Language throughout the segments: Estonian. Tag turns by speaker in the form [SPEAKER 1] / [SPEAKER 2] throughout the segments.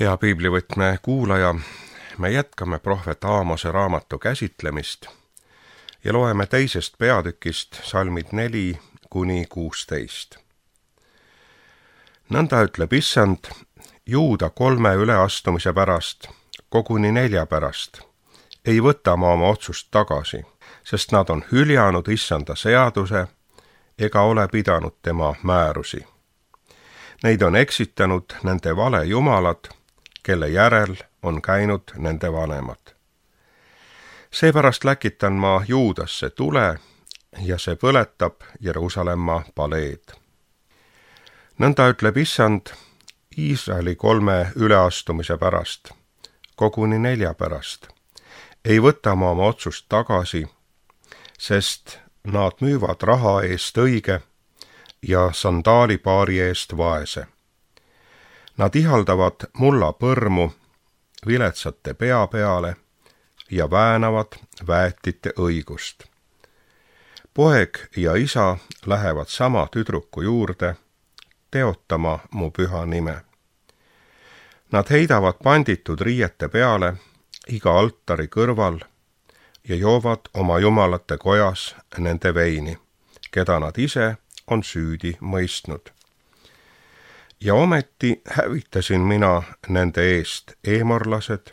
[SPEAKER 1] Hea piiblivõtme kuulaja, me jätkame prohvet Aamose raamatu käsitlemist ja loeme teisest peatükist salmid 4–16. Nõnda ütleb Issand, Juuda 3 üleastumise pärast, koguni 4 pärast, ei võta ma oma otsust tagasi, sest nad on hüljanud Issanda seaduse ega ole pidanud tema määrusi. Neid on eksitanud nende vale jumalad, kelle järel on käinud nende vanemad. Seepärast läkitan ma Juudasse tule ja see põletab Jeruusalemma paleed. Nõnda ütleb Issand, Iisraeli 3 üleastumise pärast, koguni 4 pärast, ei võta ma oma otsust tagasi, sest nad müüvad raha eest õige ja sandaalipaari eest vaese. Nad ihaldavad mulla põrmu viletsate pea peale ja väänavad väetite õigust. Poeg ja isa lähevad sama tüdruku juurde, teotama mu püha nime. Nad heidavad panditud riiete peale iga altari kõrval ja joovad oma jumalate kojas nende veini, keda nad ise on süüdi mõistnud. Ja ometi hävitasin mina nende eest eemorlased,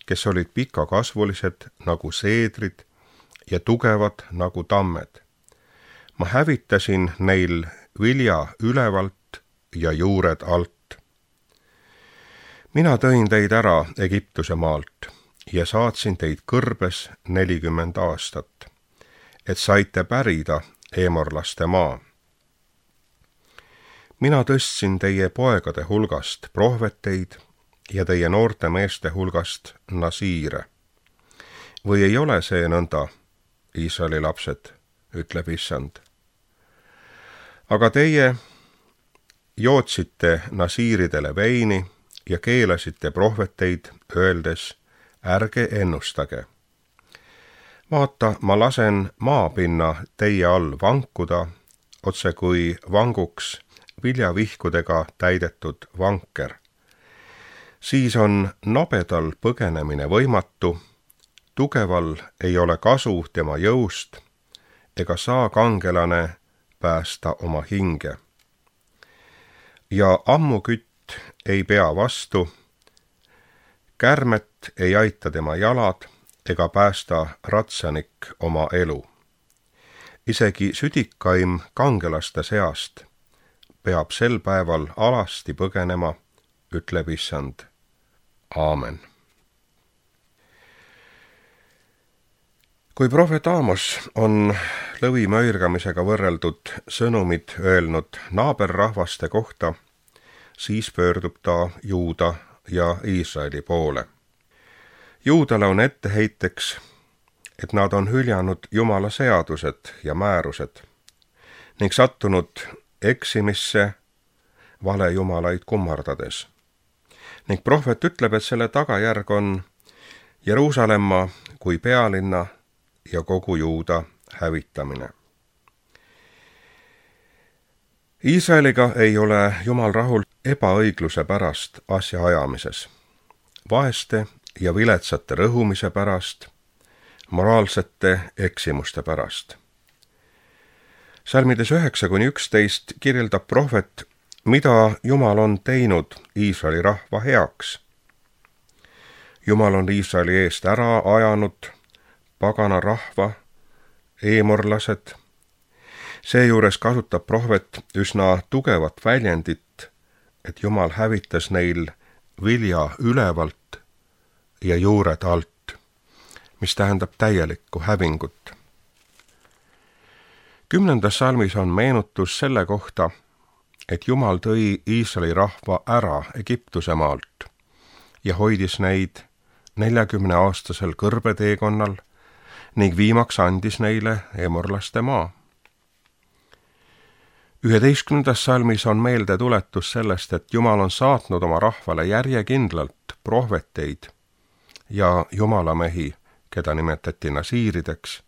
[SPEAKER 1] kes olid pikakasvulised nagu seedrid ja tugevad nagu tammed. Ma hävitasin neil vilja ülevalt ja juured alt. Mina tõin teid ära Egiptuse maalt ja saatsin teid kõrbes 40 aastat, et saite pärida eemorlaste maa. Mina tõstsin teie poegade hulgast prohveteid ja teie noorte meeste hulgast nasiire. Või ei ole see nõnda, Iisraeli lapsed, ütleb Issand. Aga teie jootsite nasiiridele veini ja keelasite prohveteid, öeldes, ärge ennustage. Vaata, ma lasen maapinna teie all vankuda, otse kui vanguks viljavihkudega täidetud vanker. Siis on nobedal põgenemine võimatu, tugeval ei ole kasu tema jõust, ega saa kangelane päästa oma hinge. Ja ammukütt ei pea vastu, kärmet ei aita tema jalad ega päästa ratsanik oma elu. Isegi südikaim kangelaste seast peab sel päeval alasti põgenema, ütleb Issand. Aamen. Kui prohvet Aamos on lõvi möirgamisega võrreldud sõnumid öelnud naaberrahvaste kohta, siis pöördub ta Juuda ja Iisraeli poole. Juudale on etteheiteks, et nad on hüljanud Jumala seadused ja määrused ning sattunud eksimisse valejumalaid kummardades. Ning prohvet ütleb, et selle tagajärg on Jeruusalemma kui pealinna ja kogu Juuda hävitamine. Iisraeliga ei ole Jumal rahul ebaõigluse pärast asja ajamises, vaeste ja viletsate rõhumise pärast, moraalsete eksimuste pärast. Salmides 9–11 kirjeldab prohvet, mida Jumal on teinud Iisraeli rahva heaks. Jumal on Iisraeli eest ära ajanud pagana rahva, eemorlased. Seejuures kasutab prohvet üsna tugevat väljendit, et Jumal hävitas neil vilja ülevalt ja juured alt, mis tähendab täielikku hävingut. 10. salmis on meenutus selle kohta, et Jumal tõi Iisraeli rahva ära Egiptuse maalt ja hoidis neid 40-aastasel kõrbeteekonnal ning viimaks andis neile eemorlaste maa. 11. salmis on meeldetuletus sellest, et Jumal on saatnud oma rahvale järjekindlalt prohveteid ja jumalamehi, keda nimetati nasiirideks.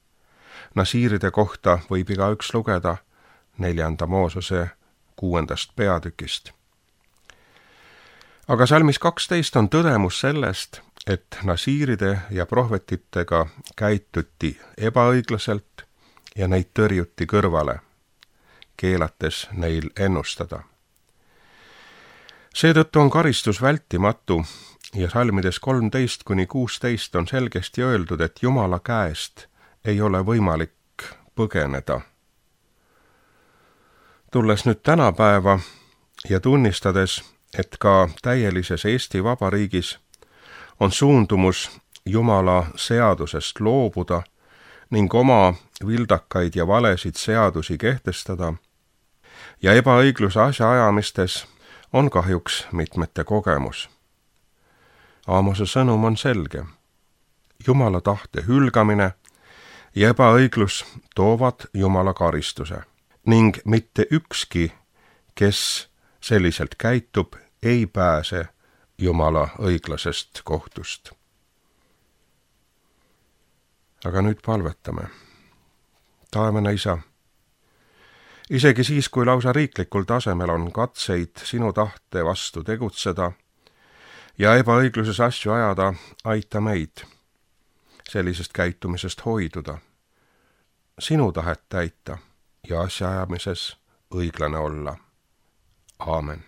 [SPEAKER 1] Nasiiride kohta võib igaüks lugeda 4. Moosese 6. peatükist. aga salmis 12 on tõdemus sellest, et nasiiride ja prohvetitega käituti ebaõiglaselt ja neid tõrjuti kõrvale, keelates neil ennustada. Seetõttu on karistus vältimatu ja salmides 13-16 on selgesti öeldud, et Jumala käest ei ole võimalik põgeneda. Tulles nüüd tänapäeva ja tunnistades, et ka täielises Eesti Vabariigis on suundumus Jumala seadusest loobuda ning oma vildakaid ja valesid seadusi kehtestada ja ebaõigluse asjaajamistes on kahjuks mitmete kogemus. Aamose sõnum on selge. Jumala tahte hülgamine ja ebaõiglus toovad Jumala karistuse ning mitte ükski, kes selliselt käitub, ei pääse Jumala õiglasest kohtust. Aga nüüd palvetame. Taevane Isa, isegi siis, kui lausa riiklikul tasemel on katseid sinu tahte vastu tegutseda ja ebaõigluses asju ajada, aita meid sellisest käitumisest hoiduda, sinu tahet täita ja asjaajamises õiglane olla. Aamen.